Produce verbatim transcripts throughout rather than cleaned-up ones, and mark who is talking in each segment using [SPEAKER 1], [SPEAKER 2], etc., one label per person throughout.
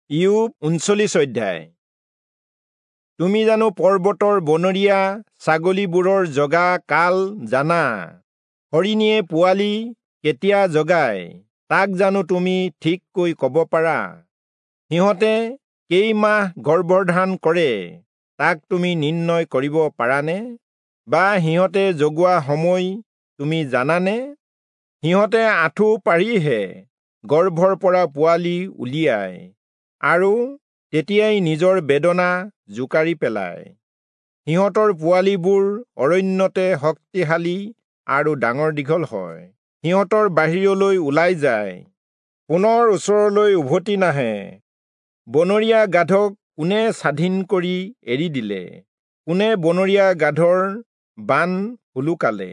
[SPEAKER 1] ইয়োব ঊনচল্লিশ অধ্যায়। তুমি জানো পৰ্বতৰ বনৰীয়া ছাগলীবোৰৰ জগা কাল জানা? হৰিণীয়ে পোৱালি কেতিয়া জগায় তাক জানো তুমি ঠিককৈ কব পাৰা? সিহঁতে কেইমাহ গৰ্ভধাৰণ কৰে তাক তুমি নিৰ্ণয় কৰিব পাৰানে? বা সিহঁতে জগোৱা সময় তুমি জানানে? সিহঁতে আঁঠু পাৰিহে গৰ্ভৰ পৰা পোৱালি উলিয়ায় আৰু তেতিয়াই নিজৰ বেদনা জোকাৰি পেলায়। সিহঁতৰ পোৱালিবোৰ অৰণ্যতে শক্তিশালী আৰু ডাঙৰ দীঘল হয়। সিহঁতৰ বাহিৰলৈ ওলাই যায়, পুনৰ ওচৰলৈ উভতি নাহে। বনৰীয়া গাধক কোনে স্বাধীন কৰি এৰি দিলে? কোনে বনৰীয়া গাধৰ বান সোলোকালে?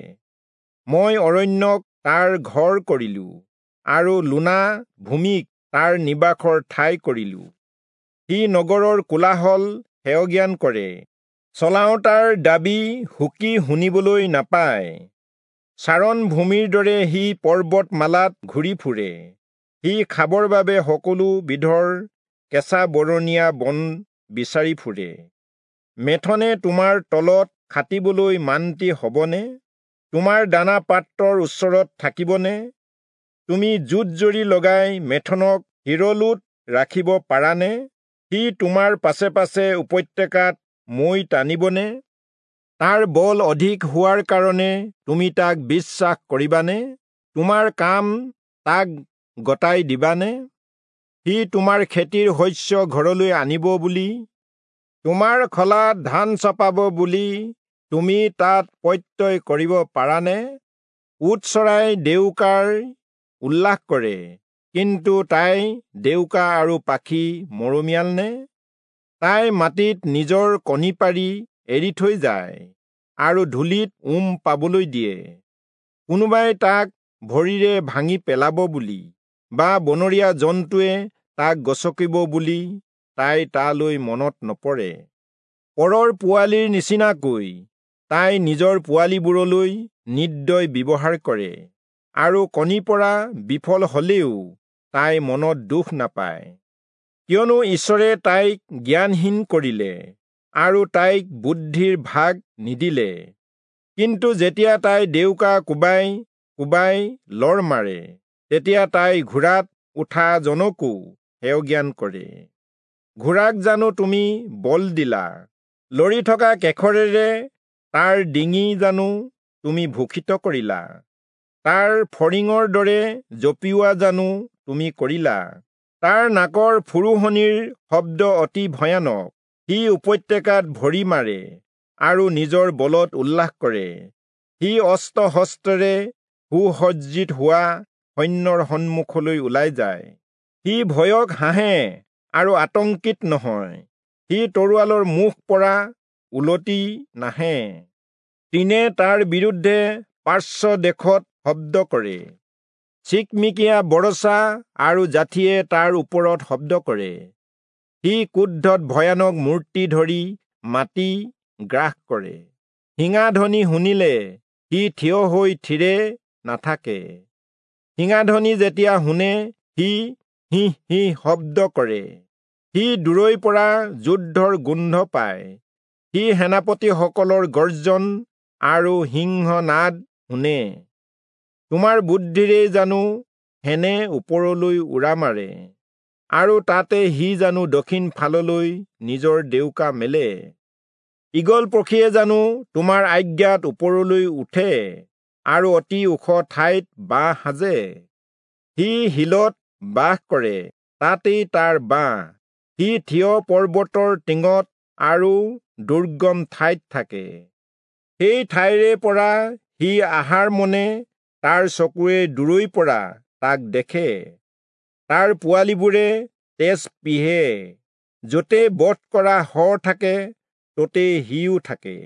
[SPEAKER 1] মই অৰণ্যক তাৰ ঘৰ কৰিলো আৰু লোনা ভূমিক তাৰ নিবাসৰ ঠাই কৰিলো। সি নগৰৰ কোলাহল হেয়জ্ঞান কৰে, চলাওঁতাৰ দাবী হুকি শুনিবলৈ নাপায়। চাৰণ ভূমিৰ দৰে সি পৰ্বতমালাত ঘূৰি ফুৰে। সি খাবৰ বাবে সকলো বিধৰ কেঁচা বৰণীয়া বন বিচাৰি ফুৰে। মেথনে তোমাৰ তলত খাটিবলৈ মান্তি হবনে? তোমাৰ দানা পাত্ৰৰ ওচৰত থাকিবনে? তুমি জোঁট জৰি লগাই মেথনক হিৰলোত ৰাখিব পাৰানে? সি তোমাৰ পাছে পাছে উপত্যকাত মৈ টানিবনে? তাৰ বল অধিক হোৱাৰ কাৰণে তুমি তাক বিশ্বাস কৰিবানে? তোমাৰ কাম তাক গতাই দিবানে? সি তোমাৰ খেতিৰ শস্য ঘৰলৈ আনিব বুলি, তোমাৰ খলাত ধান চপাব বুলি তুমি তাত প্ৰত্যয় কৰিব পাৰানে? উট চৰাই ডেউকাৰ উল্লাস কৰে, কিন্তু তাই ডেউকা আৰু পাখি মৰমীয়াল নে? তাই মাটিত নিজৰ কণী পাৰি এৰি থৈ যায় আৰু ধূলিত উম পাবলৈ দিয়ে। কোনোবাই তাক ভৰিৰে ভাঙি পেলাব বুলি বা বনৰীয়া জন্তুৱে তাক গচকিব বুলি তাই তালৈ মনত নপৰে। পৰৰ পোৱালিৰ নিচিনাকৈ তাই নিজৰ পোৱালিবোৰলৈ নিৰ্দয় ব্যৱহাৰ কৰে আৰু কণী পৰা বিফল হলেও তাই মনত দুখ নাপায়। কিয়নো ঈশ্বৰে তাইক জ্ঞানহীন কৰিলে আৰু তাইক বুদ্ধিৰ ভাগ নিদিলে। কিন্তু যেতিয়া তাই ডেউকা কোবাই কোবাই লৰ মাৰে, তেতিয়া তাই ঘোঁৰাত উঠা জনকো হেয়জ্ঞান কৰে। ঘোঁৰাক জানো তুমি বল দিলা? লৰি থকা কেশৰেৰে তাৰ ডিঙি জানো তুমি ভূষিত কৰিলা? তাৰ ফৰিঙৰ দৰে জঁপিওৱা জানো তুমি কৰিলা? তাৰ নাকৰ ফুৰোহনিৰ শব্দ অতি ভয়ানক। সি উপত্যকাত ভৰি মাৰে আৰু নিজৰ বলত উল্লাস কৰে। সি অস্ত্ৰ শস্ত্ৰেৰে সুসজ্জিত হোৱা সৈন্যৰ সন্মুখলৈ ওলাই যায়। সি ভয়ক হাঁহে আৰু আতংকিত নহয়। সি তৰোৱালৰ মুখ পৰা উলটি নাহে। তৃণে তাৰ বিৰুদ্ধে পাৰ্শ্ব দেশত শব্দ কৰে, চিকমিকিয়া বৰছা আৰু জাঠিয়ে তাৰ ওপৰত শব্দ কৰে। সি ক্ৰোধত ভয়ানক মূৰ্তি ধৰি মাটি গ্ৰাস কৰে। শিঙাধ্বনি শুনিলে সি থিয় হৈ থিৰে নাথাকে। শিঙাধ্বনি যেতিয়া শুনে সি হিঃ হিঃ শব্দ কৰে। সি দূৰৈৰ পৰা যুদ্ধৰ গোন্ধ পায়। সি সেনাপতিসকলৰ গৰ্জন আৰু সিংহনাদ শুনে। তোমাৰ বুদ্ধিৰেই জানো শেনে ওপৰলৈ উৰা মাৰে আৰু তাতে সি জানো দক্ষিণ ফাললৈ নিজৰ ডেউকা মেলে? ঈগল পক্ষীয়ে জানো তোমাৰ আজ্ঞাত ওপৰলৈ উঠে আৰু অতি ওখ ঠাইত বাহ সাজে? সি শিলত বাস কৰে, তাতেই তাৰ বাহ। সি থিয় পৰ্বতৰ টিঙত আৰু দুৰ্গম ঠাইত থাকে। সেই ঠাইৰে পৰা সি আহাৰ মনে তাৰ চকুৱে দূৰৈৰ পৰা তাক দেখে। তাৰ পোৱালিবোৰে তেজ পিহে। য'তে বধ কৰা শৰ থাকে ত'তে সিও থাকে।